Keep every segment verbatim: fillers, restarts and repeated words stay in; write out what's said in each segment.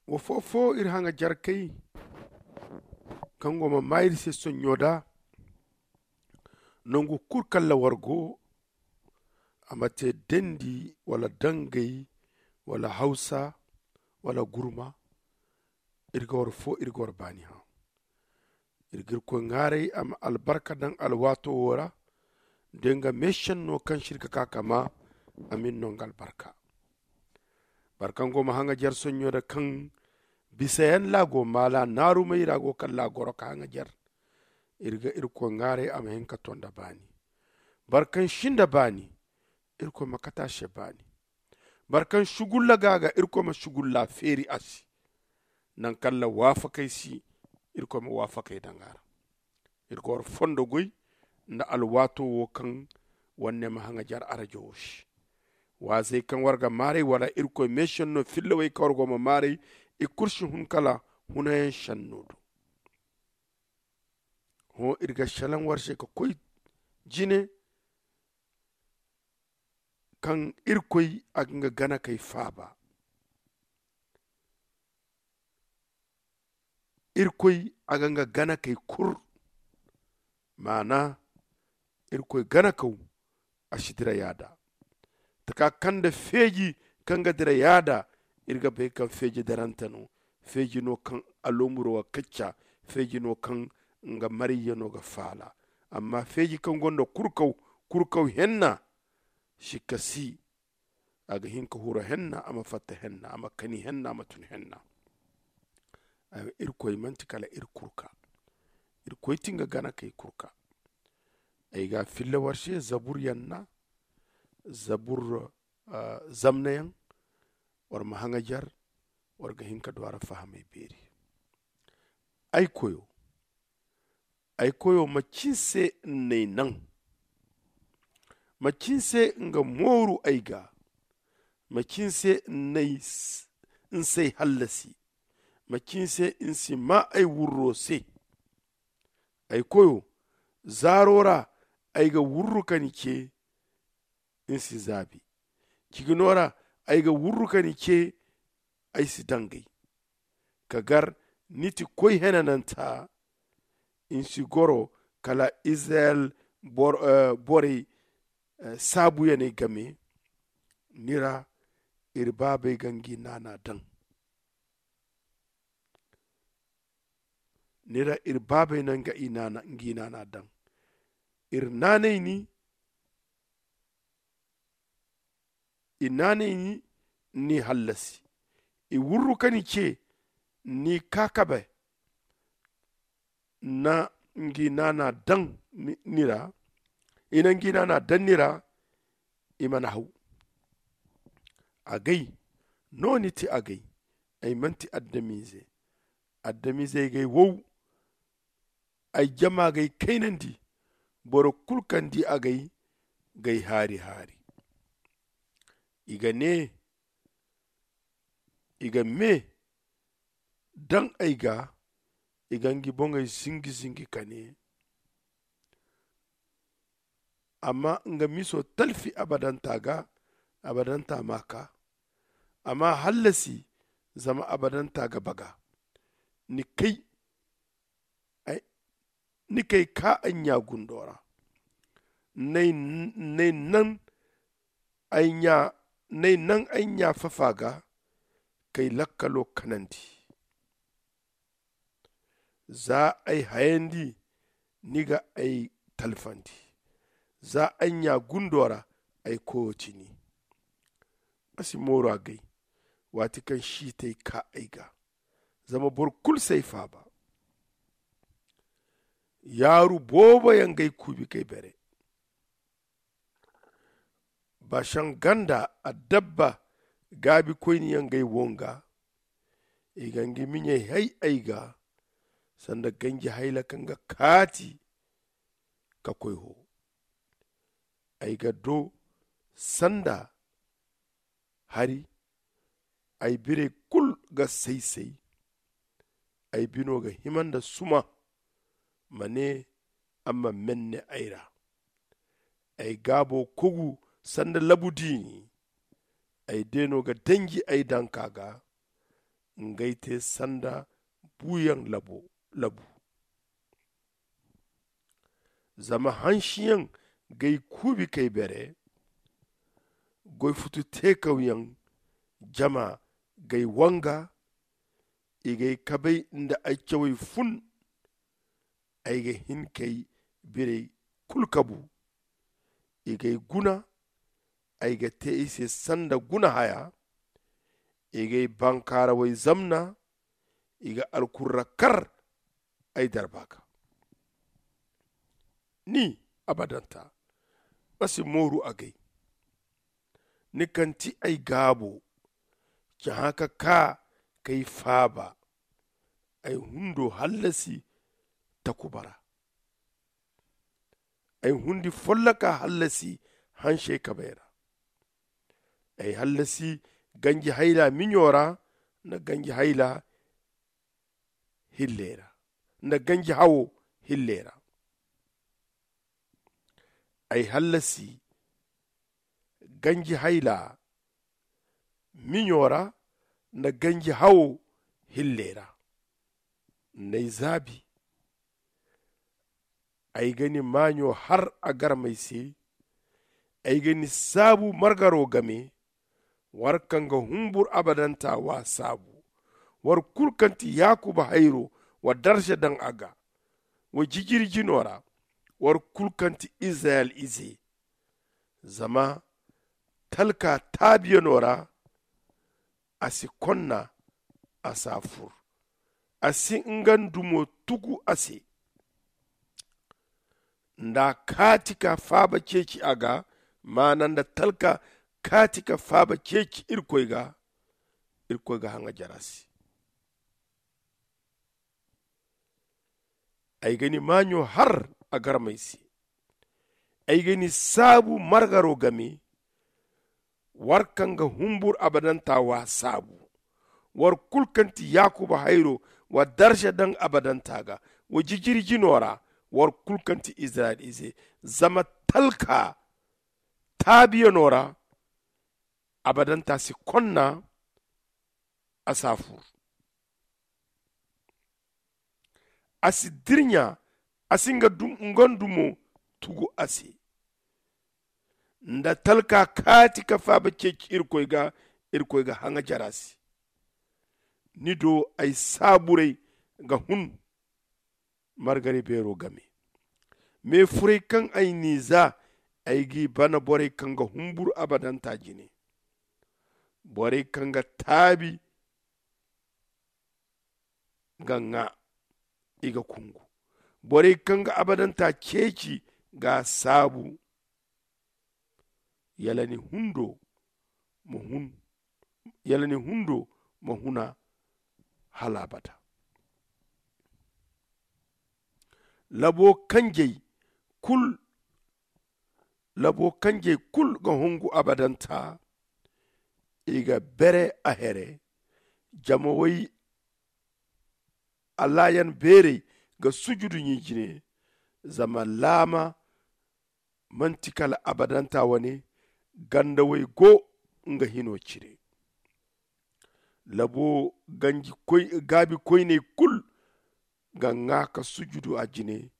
Wa foo-foo iri haŋajarkey kaŋ go ma maa iri se sonɲo da. Nangu kul kaŋ ra war go, a ma te dendi wala dangay wala hawsa wala gurma. Iri ga war foo iri ga war baani hã. Iri ga irkoy ŋwaaray a ma albarka daŋ alwaato wo ra. Da nga meesenno kaŋ si iri ga ka ka maa, a ma iri no nga albarka. Boro kaŋ go ma haŋajar sonɲo da kaŋ bisayaŋ ra a go maala naarumey ra a go kala a goro ka haŋajar. Iri ga irkoy ŋwaaray a ma hin ka to nda baani. Boro kaŋ si nda baani, irkoy ma kate a se baani. Boro kaŋ sugulla ga a ga, irkoy ma sugulla feeri a se. Naŋ kaŋ ra waafakey si, irkoy ma waafakey daŋ a ra. Iri ga war fondo goy nda alwaato wo kaŋ war ne ma haŋajar arajo wo se. Waazey kaŋ war ga maaray wala irkoy meesenno fillawey kaŋ war go ma maaray, i kulu si hun kala hunayaŋ senno do. Hõ iri ga salaŋ war se ka koy jine kaŋ irkoy a ga nga ganakey faaba. Irkoy a ga nga ganakey kur. Maana, irkoy ganakaw a si dira yaada. Taka kaŋ nda feeji kaŋ ga dira yaada. Iri ga bay kaŋ feeji darante no. Feeji no kaŋ alomuro ga kacca. Feeji no kaŋ nga mariyya no ga faala. Amma feeji kaŋ gonda kurkaw, kurkaw henna si kasi. A ga hin ka huru henna a ma fatta henna a ma kani henna a ma tun henna. Irkoy manti kala iri kurka. Irkoy ti nga gana kay kurka. Ay ga filla war se zabur yanna, zabur zamna yaŋ. War ma haŋajar. War ga hin ka du a ra fahamay beeri. Ay koyo, ay koyo macin se n'ay naŋ? Macin se nga mooru ay ga? Macin se n'ay n'say hallasi? Macin se n'si maa ay wurro se? Ay koyo, zaaro ra ay ga wurru ka ni ce. N'si zaabi. Cigino ra ay ga wurru ka ni ce. Ay si dangay ka gar ni ti koy henananta. N'si goro kala izirayel borey saabuyaney game. Ni ra iri baabey ga ngi naana daŋ. Ni ra iri baabey na nga i naana daŋ. Iri naanay ni. I naanay ni n'i hallasi. I wurru ka ni ce n'i kaakabe. Na ngi naana daŋ ni ra. I na ngi naana daŋ ni ra. I mana haw. Agay no ni ti agay. Ay manti adamize. Adamize gay wow. Ay jama gay kaynandi. Boro kulu kaŋ di agay gay haari haari. I ga ne i ga me daŋ ay ga. I ga ngi boŋey zingi zingi ka ne. Amma nga miso talfi abadanta ga. Abadanta ma ka. Amma hallasi zama abadanta ga baga. Ni kay ni kay ka ay ɲa gundo ra. N'ay naŋ ay ɲa fafa ga kay lakkalo kanandi. Za ay hayandi ni ga ay talfandi. Za ay ɲa gundo ra ay koyo ti ni. A si mooru agay waati kaŋ siitay ka ay ga. Zama boro kulu si ay faaba. Yaaru boobo yaŋ g'ay kuubi k'ay bare. Basaŋ ganda adabba gaabikoyne yaŋ g'ay wonga. I ga ngi miɲey hay ay ga sanda ganji hayla kaŋ ga kaati ka koy ho. Ay ga do sanda hari. Ay birey kulu ga say-say. Ay bino ga hima nda suma. Ma ne a ma menne ay ra. Ay gaabo kogu sanda labu diini. Ay deeno ga danji ay danka ga. Ngey te sanda buuyaŋ labu. Zama hansiyaŋ g'ay kuubi k'ay bere. Goy futu teekawyaŋ jama g'ay wanga. I g'ay kabey nda ay cawey fun. Ay ga hin k'ay birey kulu kabu. I g'ay guna. Ay ga te i se sanda guna haya. I g'ay bankaarawey zamna. I ga alkurra kar ay darba ga. Ni, abadanta, ma si mooru agay. Ni kaŋ ti ay gaabo, cahã ka kaa k'ay faaba. Ay hundo hallasi takuba ra. Ay hundi folloka hallasi hansey kabey ra. Ay hallasi ganji hayla miɲo ra, nda ganji hayla hilley ra, nda ganji hawo hilley ra. Ay hallasi ganji hayla miɲo ra, nda ganji hawo hilley ra. N'ay zaabi. Ay ga ni maaɲo har a garmey se. Ay ga ni saabu margaro game. War kaŋ ga humbur abadanta w'a saabu. War kulu kaŋ ti yakuba hayro, wa darza daŋ a ga. Wa jijiri jino ra. War kulu kaŋ ti izirayel ize. Zama talka taabiyano ra a si konna. A si a fur. A si nga ndumo tugu a se. Nda a kaati ka faaba ceeci a ga. Maana nda talka kaati ka faaba ceeci irkoy ga. Irkoy ga haŋa jara se. Ay ga ni maaɲo har a garmey se. Ay ga ni saabu margaro game. War kaŋ ga humbur abadanta w'a saabu. War kulu kaŋ ti yakuba hayro, wa darza daŋ abadanta ga. Wa jijiri jino ra. War kulu kaŋ ti izirayel ize. Zama talka taabiyano ra abadanta si konna. A si a fur. A si dirɲa. A si nga ndumo tugu a se. Nda talka kaati ka faaba ceeci irkoy ga. Irkoy ga haŋa jara se. Ni do ay saaburey ga hun. Margari beero game. Me furey kaŋ ay n'i za. Ay g'i bana borey kaŋ ga humburu abadanta jine. Borey kaŋ ga taabi ga ŋaa. I ga kungu. Borey kaŋ ga abadanta ceeci ga saabu. Yala ni hundo ma hun. Yala ni hundo ma huna hala abada. Labo kanjey kulu labo kanjey kulu ga hungu abadanta. I ga bere a here. Jama way allaayan beerey ga sujudu ɲi jine. Zama laama manti kala abadanta wane. Ganda way go nga hino cire. Labo ganji gaabi koyney kulu ga ŋwa ka sujudu a jine.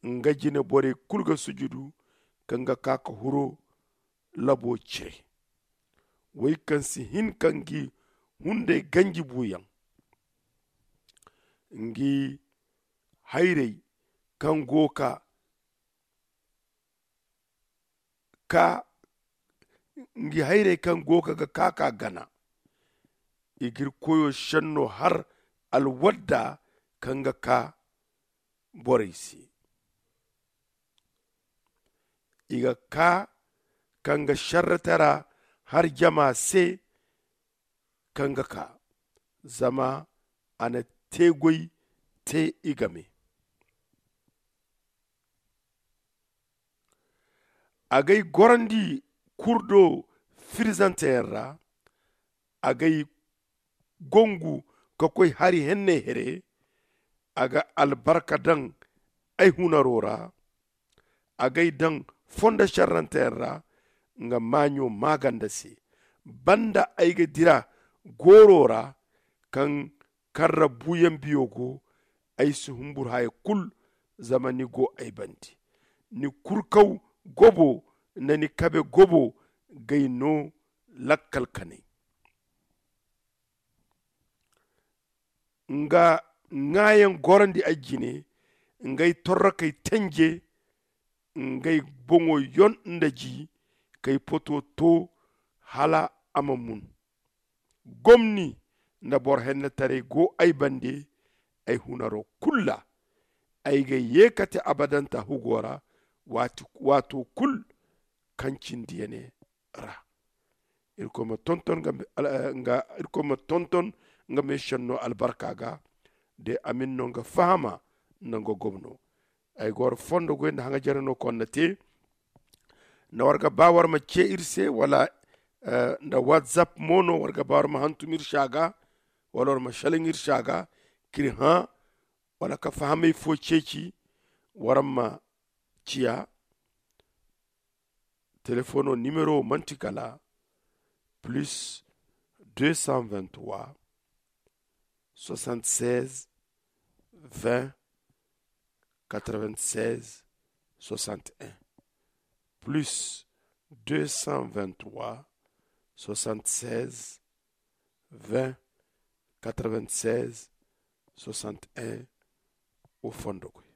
Nga jine borey kulu ga sujudu kaŋ ga ka ka huro labo cire. Wey kaŋ si hin ka ngi hunday ganji buuyaŋ. Ngi hayrey kaŋ go ka ka ngi hayrey kaŋ go ka ga ka ka gana. I g'iri koyo senno har alwadda kaŋ ga ka borey se. I ga ka kaŋ ga sarratara har jama se kaŋ ga ka zama a na teegoy te i game. A g'ay gorandi kurdo firzanteyaŋ ra. A g'ay gongu ka koy hari henney here. A ga albarka daŋ ay hunaro ra. A g'ay daŋ fondo sarranteyaŋ ra nga maaɲo maaganda se. Banda ay ga dira gooro ra kaŋ karra buuyaŋ biyo go. Ay si humbur haya kulu, zama ni go ay bande. Ni kurkaw gobo nda ni kabe gobo g'ay no lakkal kanay. Nga ŋaayaŋ gorandi ay jine, ngey torrokey tenje. Ngey boŋo yon nda ji k'ay poto to hala a ma mun. Gomni nda boro hennetaray go ay bande. Ay hunaro kulu ra ay ga ye kate abadanta hugo ra, waato kulu kaŋ cindiyane ra. Irkoy ma tonton nga meesenno albarka ga. De amin no nga fahama nda nga gomno. Ay ga war fondo goy nda haŋajare no konna te. Nda war ga ba war ma ce iri se wala nda whatsapp mo no war ga ba war ma hantum iri se a ga, wala war ma selaŋ iri se a ga k'iri hã wala ka fahamey fo ceeci. War ma ciya telefono nimero manti kala plus deux cent vingt trois soixante seize vingt quatre vingt seize soixante un, plus deux cent vingt trois soixante seize vingt quatre vingt seize soixante un. Wo fondo koy.